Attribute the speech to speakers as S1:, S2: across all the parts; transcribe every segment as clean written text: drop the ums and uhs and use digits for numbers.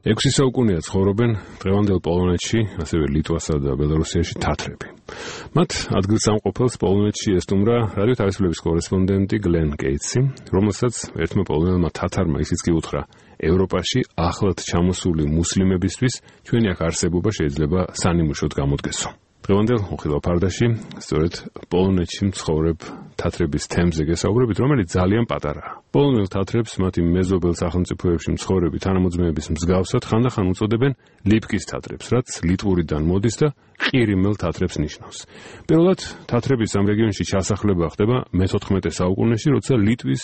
S1: 6 საუკუნეა ცხოვრობენ დღევანდელ პოლონეთში, ასევე ლიტვასა და ბელარუსიაში თათრები. მათ ადგილსამყოფელს პოლონეთში ესტუმრა რადიო თავისუფლების კორესპონდენტი გლენ კეიტსი, რომელსაც ერთმა პოლონელმა თათარმა ისიც კი უთხრა, ევროპაში ახლად ჩამოსული მუსლიმებისთვის ჩვენი აქ არსებობა შეიძლება სანიმუშოდ გამოდგესო. დღევანდელ უხილავ ფარდაში სწორედ პოლონეთში მცხოვრებ თათრების თემზე გესაუბრებით, რომელიც ძალიან პატარაა. პოლონელ თათრებს მათი მეზობელ სახელმწიფოებში მცხოვრები თანამოძმეების მსგავსად ხანდახან უწოდებენ ლიპკის თათრებს, რაც ლიტვურიდან მოდის და ყირიმელ თათრებს ნიშნავს. პირველად თათრების ამ რეგიონში ჩასახლება ხდება მე-14 საუკუნეში, როცა ლიტვის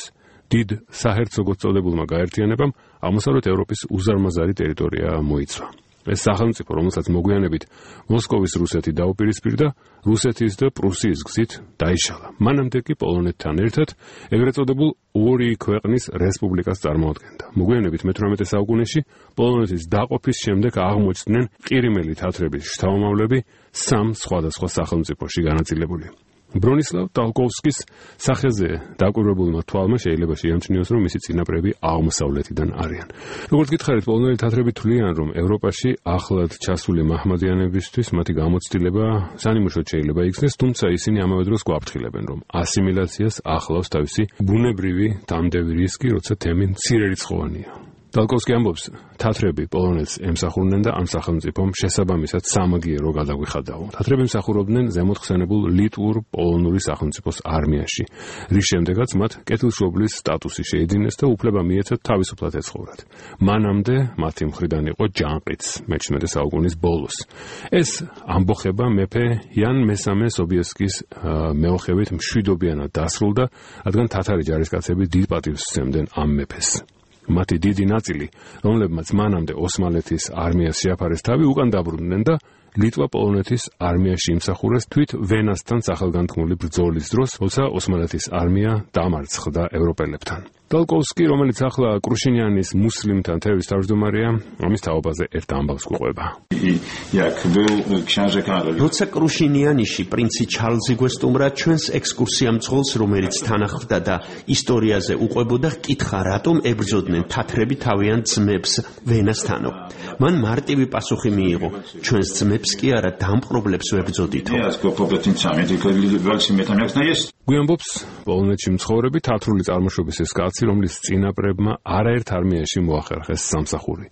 S1: დიდ საჰერცოგოს წოდებულმა გაერთიანებამ აღმოსავლეთ ევროპის უზარმაზარი ტერიტორია მოიცვა. ეს სახელმწიფო, რომელსაც მოგვიანებით მოსკოვის რუსეთი დაუპირისპირდა, რუსეთის და პრუსიის გზით დაიშალა. მანამდე კი პოლონეთთან ერთად ეგრეთ წოდებულ ორი ქვეყნის რესპუბლიკას წარმოადგენდა. მოგვიანებით მე-18 საუკუნეში პოლონეთის დაყოფის შემდეგ აღმოჩნდნენ ყირიმელი თათრების შთამომავლები 3 სხვადასხვა სახელმწიფოში განაწილებული. ბრონისლავ ტალკოვსკის სახეზე დაკვირვებულმა თვალმა შეიძლება შეამჩნიოს, რომ მისი წინაპრები აღმოსავლეთიდან არიან. როგორც გითხარით, პოლონელი თათრები თვლიან, რომ ევროპაში ახლად ჩასული მაჰმადიანებისთვის მათი გამოცდილება სანიმუშოდ შეიძლება იქნეს, თუმცა ისინი ამავე დროს გვაფრთხილებენ, რომ ასიმილაციას ახლავს თავისი ბუნებრივი დამდევი რისკი, როცა თემი მცირერიცხოვანია. ტალკოვსკი ამბობს, თათრები პოლონეთს ემსახურნენ და ამ სახელმწიფომ შესაბამისად სამაგიერო გადაგვიხადაო. თათრები მსახურობდნენ ზემოთხსენებულ ლიტვურ-პოლონური სახელმწიფოს არმიაში, რის შემდეგაც მათ კეთილშობლის სტატუსი შეიძინეს და უფლება მიეცათ თავისუფლად ეცხოვრათ. მანამდე მათი მხრიდან იყო ჯანყიც მე-17 საუკუნის ბოლოს. ეს ამბოხება მეფე იან მესამე სობიესკის მეოხებით მშვიდობიანად დასრულდა, რადგან თათარი ჯარისკაცები დიდ პატივს სცემდნენ ამ მეფეს. მათი დიდი ნაწილი, რომლებმაც მანამდე ოსმალეთის არმიას შეაფარეს თავი, უკან დაბრუნდნენ და ლიტვა პოლონეთის არმიაში იმსახურეს თვით ვენასთან სახელგანთქმული ბრძოლის დროს, როცა ოსმალეთის არმია დამარცხდა ევროპელებთან. ტალკოვსკი, რომელიც ახლა კრუშინიანის მუსლიმთა თეორის თავმჯდომარეა, ამის თაობაზე ერთ ამბავს გვყვება.
S2: როცა კრუშინიანიში პრინცი ჩარლზი გვესტუმრა, ჩვენს ექსკურსიამძღოლს, რომელიც თან ახლდა და ისტორიაზე უყვებოდა, ჰკითხა, რატომ ებრძოდნენ თათრები თავიანთ ძმებს ვენასთანო. მან მარტივი პასუხი მიიღო, ჩვენს ძმებს კი არა, დამპყრობლებს ვებრძოდითო.
S1: გვიამბობს პოლონეთში მცხოვრები თათრული წარმოშობის ეს კაცი, რომლის წინაპრებმა არაერთ არმიაში მოახერხეს სამსახური.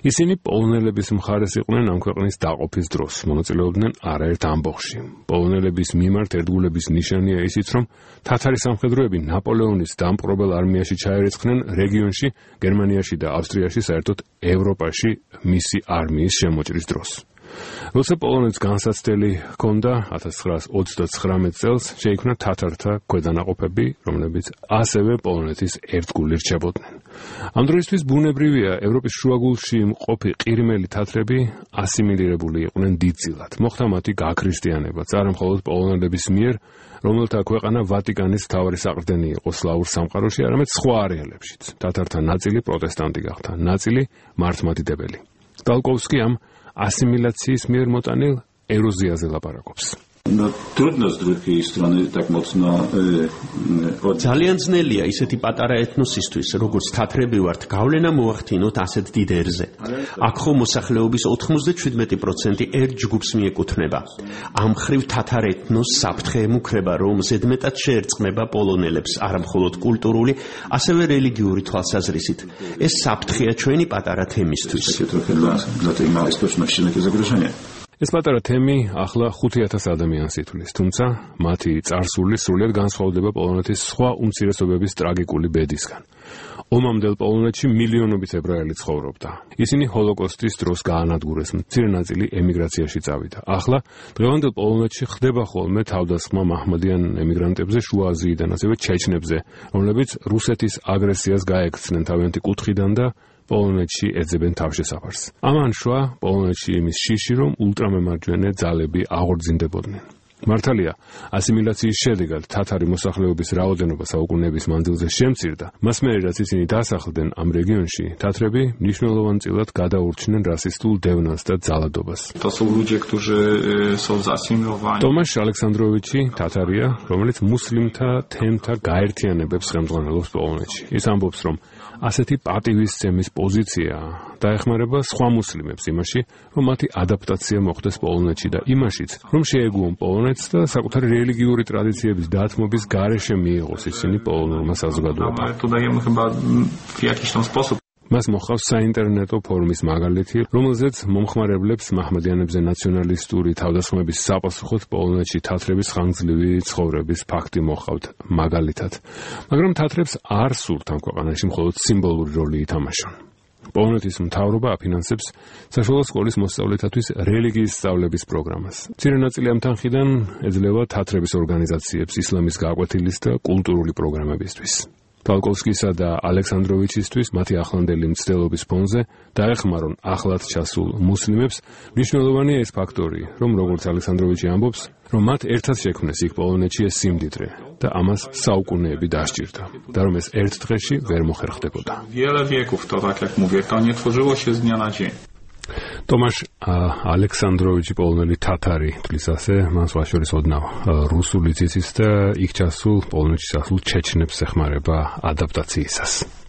S1: ისინი პოლონელების მხარეს იყვნენ ამ ქვეყნის დაყოფის დროს, მონაწილეობდნენ არაერთ ამბოხში. პოლონელების მიმართ ერთგულების ნიშანია ისიც, რომ თათარი სამხედროები ნაპოლეონის დამპყრობელ არმიაში ჩაერეცხნენ რეგიონში, გერმანიაში და ავსტრიაში, საერთოდ ევროპაში მისი არმიის შემოჭრის დროს. როცა პოლონეთს განსაცდელი ჰქონდა 1939 წელს, შეიქმნა თათართა ქვედანაყოფები, რომლებიც ასევე პოლონეთის ერთგული რჩებოდნენ. ამ დროისთვის ბუნებრივია, ევროპის შუაგულში მყოფი ყირიმელი თათრები ასიმილირებული იყვნენ დიდწილად. მოხდა მათი გაქრისტიანებაც, არა მხოლოდ პოლონელების მიერ, რომელთა ქვეყანა ვატიკანის მთავარი საყრდენი იყო სლავურ სამყაროში, არამედ სხვა არეალებშიც. თათართა ნაწილი პროტესტანტი გახდა, ნაწილი მართლმადიდებელი. ტალკოვსკი ამ ასიმილაციის მიერ მოტანილ ეროზიაზე ლაპარაკობს.
S2: ძალიან ძნელია ისეთი პატარა ეთნოსისთვის, როგორც თათრები ვართ, გავლენა მოახდინოთ ასეთ დიდ ერზე. აქ ხომ მოსახლეობის 97% ერთ ჯგუფს მიეკუთვნება. ამ მხრივ თათარ ეთნოს საფრთხე ემუქრება, რომ ზედმეტად შეერწყმება პოლონელებს, არა მხოლოდ კულტურული, ასევე რელიგიური თვალსაზრისით. ეს საფრთხეა ჩვენი პატარა თემისთვის.
S1: ეს პატარა თემი ახლა 5000 ადამიანს ითვლის, თუმცა მათი წარსული სრულიად განსხვავდება პოლონეთის სხვა უმცირესობების ტრაგიკული ბედისგან. ომამდელ პოლონეთში მილიონობით ებრაელი ცხოვრობდა. ისინი ჰოლოკოსტის დროს გაანადგურეს, მცირე ნაწილი ემიგრაციაში წავიდა. ახლა დღევანდელ პოლონეთში ხდება ხოლმე თავდასხმა მაჰმადიან ემიგრანტებზე შუა აზიიდან, ასევე ჩეჩნებზე, რომლებიც რუსეთის აგრესიას გაექცნენ თავიანთი კუთხიდან და პოლონეთში ეძებენ თავშესაფარს. ამან შვა პოლონეთში იმის შიში, რომ ულტრამემარჯვენე ძალები აღორძინდებოდნენ. მართალია, ასიმილაციის შედეგად თათარი მოსახლეობის რაოდენობა საუკუნეების მანძილზე შემცირდა, მას მერე რაც ისინი დასახლდნენ ამ რეგიონში, თათრები მნიშვნელოვანწილად გადაურჩნენ რასისტულ დევნას და ძალადობას. ტომაშ ალექსანდროვიჩი თათარია, რომელიც მუსლიმთა თემთა გაერთიანებებს ხელმძღვანელობს პოლონეთში. ის ამბობს, რომ ასეთი პატივისცემის პოზიცია დაეხმარება სხვა მუსლიმებს იმაში, რომ მათი ადაპტაცია მოხდეს პოლონეთში და იმაშიც, რომ შეეგუონ პოლონეთს და საკუთარი რელიგიური ტრადიციების დათმობის გარეშე მიიღოს ისინი პოლონურმა საზოგადოებამ. მას მოხავს საინტერნეტო ფორუმის მაგალითი, რომელზეც მომხმარებლებს მაჰმადიანებზე ნაციონალისტური თავდასხმების საპასუხოდ პოლონეთში თათრების ხანგრძლივი ცხოვრების ფაქტი მოჰყავთ მაგალითად. მაგრამ თათრებს არ სურთ ამ ქვეყანაში მხოლოდ სიმბოლური როლი ითამაშონ. პოლონეთის მთავრობა აფინანსებს საშუალო სკოლის მოსწავლეთათვის რელიგიის სწავლების პროგრამას. მცირე ნაწილი ამ თანხიდან ეძლევა თათრების ორგანიზაციებს ისლამის გაკვეთილის და კულტურული პროგრამებისთვის. ტალკოვსკისა და ალექსანდროვიჩისთვის მათი ახლანდელი მცდელობის ფონზე დაეხმარონ ახლად ჩასულ მუსლიმებს. მნიშვნელოვანია ეს ფაქტორი, რომ როგორც ალექსანდროვიჩი ამბობს, რომ მათ ერთად შექმნეს იქ პოლონეთში ეს სიმდიდრე და ამას საუკუნეები დასჭირდა და რომ ეს ერთ დღეში ვერ მოხერხდებოდა. Tomasz Aleksandrowicz polonელი თათარი თulis ასე მას ვაშორის ოდნავ რუსული ციცის და იქ ჩასულ პოლონეთში ჩასულ ჩეჩნებს ეხმარება ადაპტაციისას.